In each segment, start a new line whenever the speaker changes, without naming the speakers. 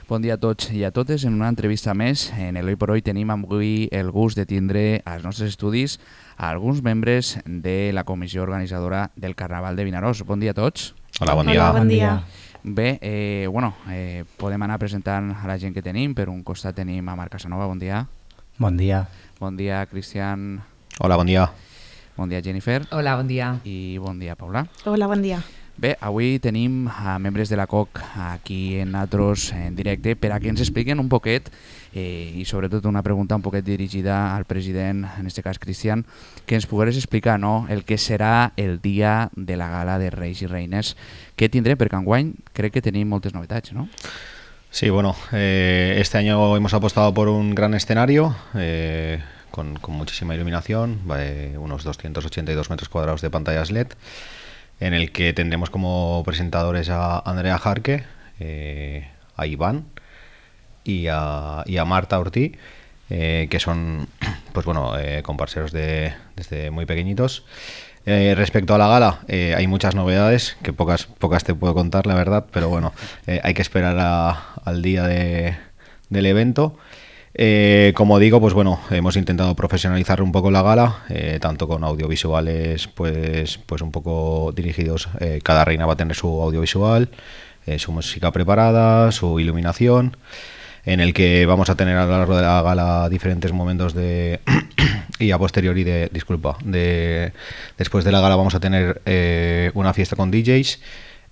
Bon dia a tots i a totes. En una entrevista més, en l'Hoy por Hoy tenim avui el gust de tindre als nostres estudis a alguns membres de la comissió organitzadora del Carnaval de Vinaròs. Bon dia a tots.
Hola, bon dia.
Hola, bon dia.
Bé, podem anar presentant a la gent que tenim. Per un costat tenim a Marc Casanova, bon dia.
Bon dia.
Bon dia, Cristian.
Hola, bon dia.
Bon dia, Jennifer.
Hola, bon dia.
I bon dia, Paula.
Hola, bon dia.
Bé, avui tenim a membres de la COC aquí en nosaltres en directe per a que ens expliquen un poquet i sobretot una pregunta un poquet dirigida al president, en aquest cas Cristian, que ens pogués explicar el que serà el dia de la gala de Reis i Reines que tindrem, perquè enguany crec que tenim moltes novetats, ¿no?
Sí, bueno, este año hemos apostado por un gran escenario con muchísima iluminación, unos 282 metros cuadrados de pantallas LED, en el que tendremos como presentadores a Andrea Jarque, a Iván y a Marta Ortí, que son pues bueno, comparseros desde muy pequeñitos. Respecto a la gala, hay muchas novedades, que pocas te puedo contar, la verdad, pero bueno, hay que esperar al día del evento. Como digo, pues bueno, hemos intentado profesionalizar un poco la gala, tanto con audiovisuales pues un poco dirigidos. Cada reina va a tener su audiovisual, su música preparada, su iluminación, en el que vamos a tener a lo largo de la gala diferentes momentos y a posteriori después de la gala vamos a tener una fiesta con DJs,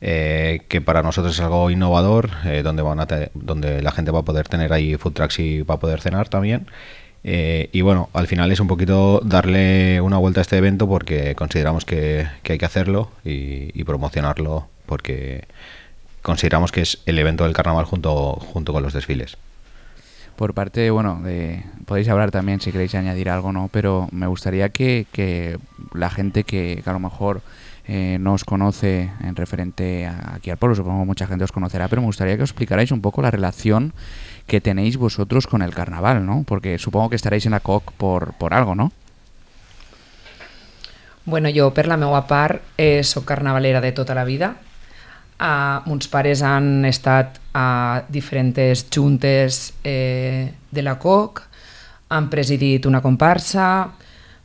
que para nosotros es algo innovador, donde la gente va a poder tener ahí food trucks y va a poder cenar también. Y bueno, al final es un poquito darle una vuelta a este evento porque consideramos que hay que hacerlo y promocionarlo, porque consideramos que es el evento del carnaval junto con los desfiles.
Por parte, podéis hablar también si queréis añadir algo, ¿no? Pero me gustaría que la gente que a lo mejor no os conoce en referente aquí al pueblo, supongo que mucha gente os conocerá, pero me gustaría que os explicarais un poco la relación que tenéis vosotros con el carnaval, ¿no? Porque supongo que estaréis en la COC por algo, ¿no?
Bueno, jo per la meva part soc carnavalera de tota la vida. Mons pares han estat a diferents juntes de la COC, han presidit una comparsa.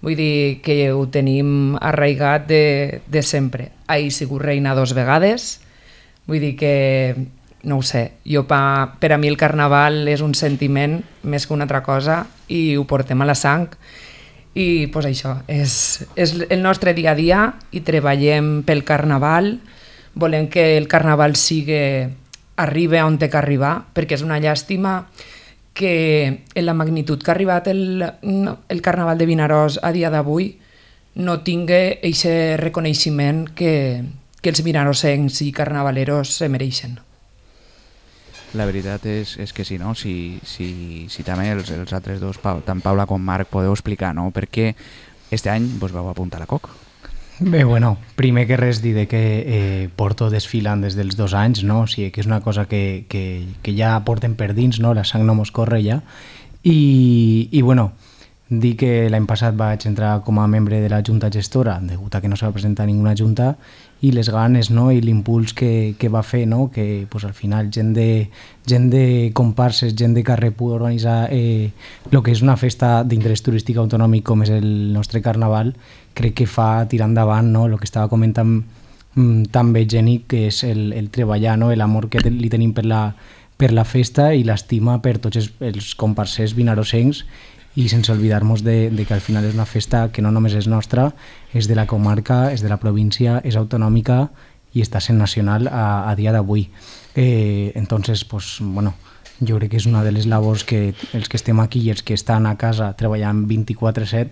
Vull dir que ho tenim arraigat de sempre. He sigut reina 2 vegades. Vull dir que, no ho sé, per a mi el carnaval és un sentiment més que una altra cosa i ho portem a la sang. I pues això, és el nostre dia a dia i treballem pel carnaval. Volem que el carnaval arribi on té que arribar, perquè és una llàstima que en la magnitud que ha arribat el Carnaval de Vinaròs a dia d'avui no tingui aquest reconeixement que els vinarossencs i carnavaleros se mereixen.
La veritat és que sí, no? Si també els altres dos, tant Paula com Marc, podeu explicar, no? Per què este any vos vau apuntar a la COC?
Bé, bueno, primer que res dir que porto desfilant des dels 2 anys, no? O sigui, que és una cosa que ja portem per dins, no? La sang no mos corre ja. I bueno, dir que l'any passat vaig entrar com a membre de la junta gestora, degut a que no se va presentar ninguna junta, i les ganes, no? I l'impuls que va fer, no? Que pues, al final gent de comparses, gent de carrer pugui organitzar el que és una festa d'interès turístic autonòmic com és el nostre carnaval, crec que fa tirar endavant, no? El que estava comentant també Jenny, que és el treballar, no? L'amor que li tenim per la festa i l'estima per tots els comparsers vinarossencs, i sense oblidar-nos de que al final és una festa que no només és nostra, és de la comarca, és de la província, és autonòmica i està sent nacional a dia d'avui. Entonces, pues, bueno, jo crec que és una de les labors que els que estem aquí i els que estan a casa treballant 24/7,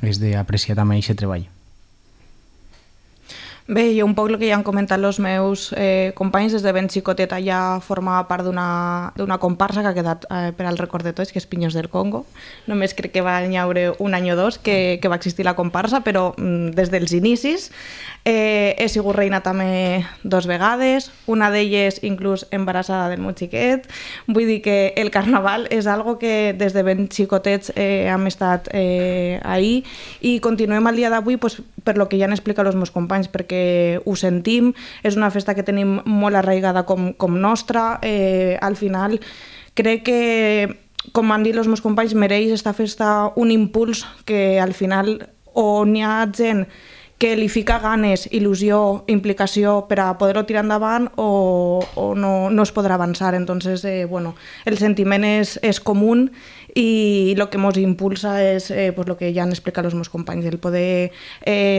és d'apreciar també aquest treball.
Bé, jo un poc el que ja han comentat els meus companys, des de ben xicoteta ja formava part d'una comparsa que ha quedat per al record de tots, que és Pinyos del Congo. Només crec que va haure un any o dos que va existir la comparsa, però des dels inicis he sigut reina també 2 vegades, una d'elles inclús embarassada del meu xiquet. Vull dir que el carnaval és algo que des de ben xicotets hem estat ahí i continuem al dia d'avui per lo que ja han explicat els meus companys, perquè perquè ho sentim, és una festa que tenim molt arraigada com nostra. Al final crec que, com han dit els meus companys, mereix esta festa un impuls que al final o n'hi ha gent que li fica ganes, il·lusió, implicació per a poder-ho tirar endavant o no es podrà avançar. Entonces, el sentiment és comú i el que ens impulsa és el que ja han explicat els meus companys, el poder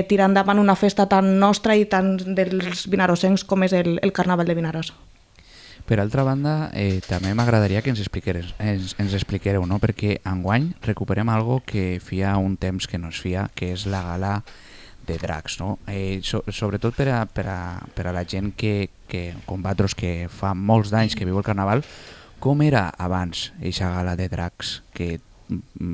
tirar endavant una festa tan nostra i tan dels vinarosencs com és el Carnaval de Vinaròs.
Per altra banda, també m'agradaria que ens expliquéreu, no? Perquè enguany recuperem algo que feia un temps que no es feia, que és la gala de dracs, no? Sobretot per a la gent que com vosaltres, que fa molts d'anys que viu el Carnaval, com era abans aquesta gala de dracs? Que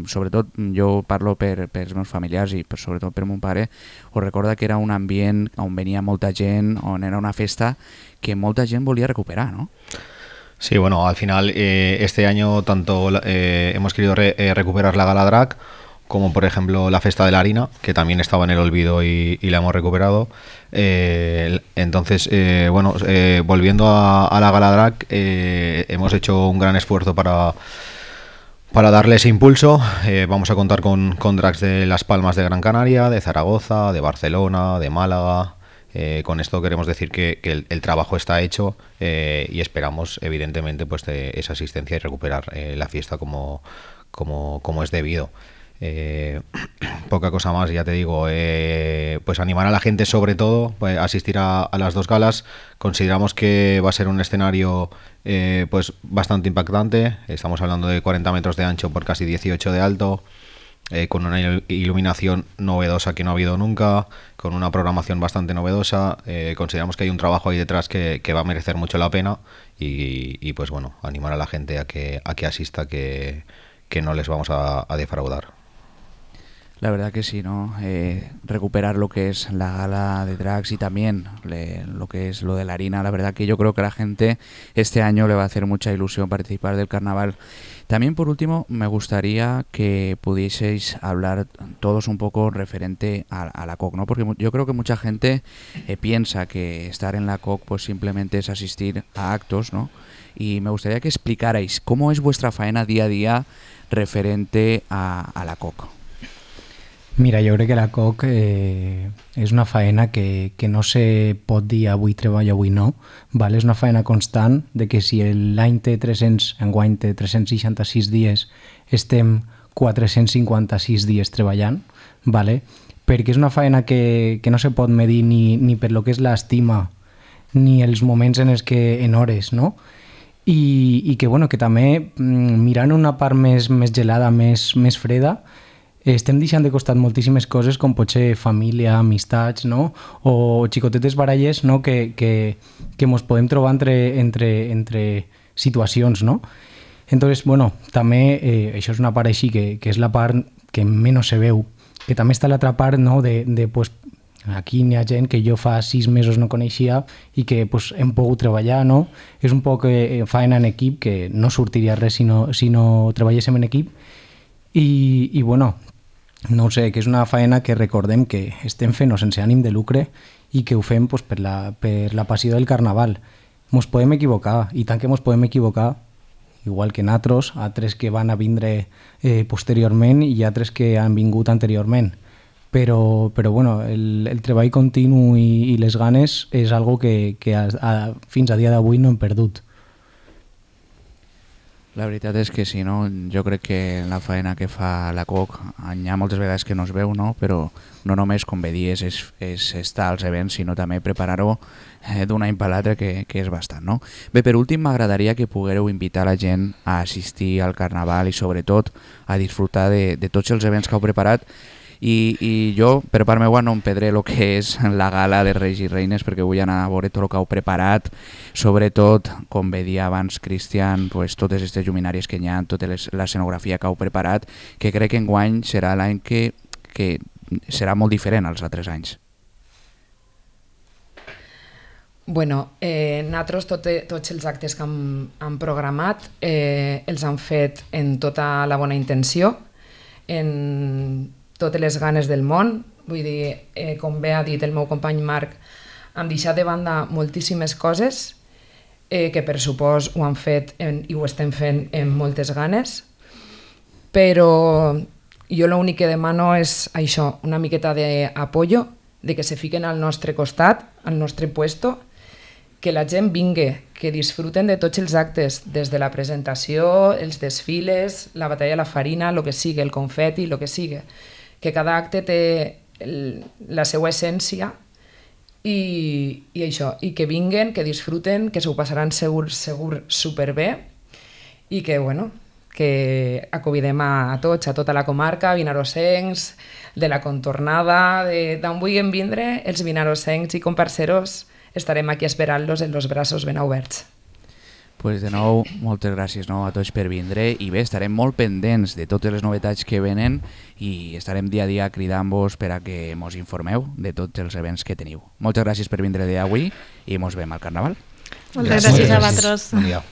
sobretot jo parlo pels meus familiars i sobretot per mon pare, us recorda que era un ambient on venia molta gent, on era una festa que molta gent volia recuperar, ¿no?
Sí, bueno, al final este año tanto hemos querido recuperar la gala drag como por ejemplo la Festa de la Harina, que también estaba en el olvido y la hemos recuperado. Entonces, volviendo a la Gala Drag, hemos hecho un gran esfuerzo para darle ese impulso. Vamos a contar con drags de Las Palmas de Gran Canaria, de Zaragoza, de Barcelona, de Málaga. Con esto queremos decir que el trabajo está hecho y esperamos, evidentemente, pues esa asistencia y recuperar la fiesta como es debido. Poca cosa más, ya te digo, pues animar a la gente, sobre todo pues asistir a las dos galas. Consideramos que va a ser un escenario pues bastante impactante. Estamos hablando de 40 metros de ancho por casi 18 de alto, con una iluminación novedosa que no ha habido nunca, con una programación bastante novedosa. Consideramos que hay un trabajo ahí detrás que va a merecer mucho la pena y pues bueno, animar a la gente a que asista, que no les vamos a defraudar.
La verdad que sí, ¿no? Recuperar lo que es la gala de drags y también lo que es lo de la harina. La verdad que yo creo que a la gente este año le va a hacer mucha ilusión participar del carnaval. También, por último, me gustaría que pudieseis hablar todos un poco referente a la COC, ¿no? Porque yo creo que mucha gente piensa que estar en la COC pues simplemente es asistir a actos, ¿no? Y me gustaría que explicarais cómo es vuestra faena día a día referente a la COC.
Mira, jo crec que la COC és una faena que no se pot dir avui treballo, avui no. Vale? És una faena constant de que si l'any té 300, enguany té 366 dies, estem 456 dies treballant, vale? Perquè és una faena que no se pot medir ni per lo que és l'estima ni els moments en hores, no? I que, bueno, que també mirant una part més gelada, més freda, estem deixant de costat moltíssimes coses com pot ser família, amistats, no? O xicotetes baralles, no? que mos podem trobar entre situacions, no? Entonces, bueno, també això és una part així que és la part que menys se veu, que també està l'altra part, no? de pues, aquí n'hi ha gent que jo fa 6 mesos no coneixia i que pues, hem pogut treballar, no? És un poc faena en equip, que no sortiria res si no treballéssim en equip i bueno, no ho sé, que és una faena que recordem que estem fent sense ànim de lucre i que ho fem pues, per la passió del carnaval. Mos podem equivocar, i tant que mos podem equivocar, igual que nosaltres, altres que van a vindre posteriorment i altres que han vingut anteriorment. Però bueno, el treball continu i les ganes és algo que fins a dia d'avui no hem perdut.
La veritat és que sí, no? Jo crec que la faena que fa la COC hi ha moltes vegades que no es veu, no? Però no només, com bé dies, és estar als events, sinó també preparar-ho d'un any per l'altre, que és bastant, no? Bé, per últim, m'agradaria que poguéreu invitar la gent a assistir al Carnaval i sobretot a disfrutar de tots els events que heu preparat. I jo, per part meva, no em perdré el que és la gala de Reis i Reines, perquè vull anar a veure tot el que heu preparat, sobretot, com bé dia abans Cristian, pues, totes aquestes lluminàries que hi ha, tota l'escenografia que heu preparat, que crec que enguany serà l'any que serà molt diferent als altres anys.
Bueno, nosaltres tots els actes que hem programat els han fet en tota la bona intenció, en totes les ganes del món, Vull dir, com bé ha dit el meu company Marc, hem deixat de banda moltíssimes coses que per supòs ho han fet i ho estem fent amb moltes ganes, però jo l'únic que demano és això, una miqueta d'apoyo, de que se fiquen al nostre costat, al nostre puesto, que la gent vingui, que disfruten de tots els actes, des de la presentació, els desfiles, la batalla de la farina, el que sigui, el confeti, el que sigui, que cada acte té la seva essència i això, i que vinguen, que disfruten, que s'ho passaran segur superbé i que, bueno, que acovidem a tots, a tota la comarca, vinarosencs, de la contornada, d'on vulguin vindre, els vinarosencs i comparseros estarem aquí esperant-los amb els braços ben oberts.
Pues de nou, moltes gràcies a tots per vindre i bé, estarem molt pendents de totes les novetats que venen i estarem dia a dia cridant-vos per a que mos informeu de tots els events que teniu. Moltes gràcies per vindre d'avui i mos veiem al Carnaval.
Moltes gràcies a vosaltres.
Bon dia.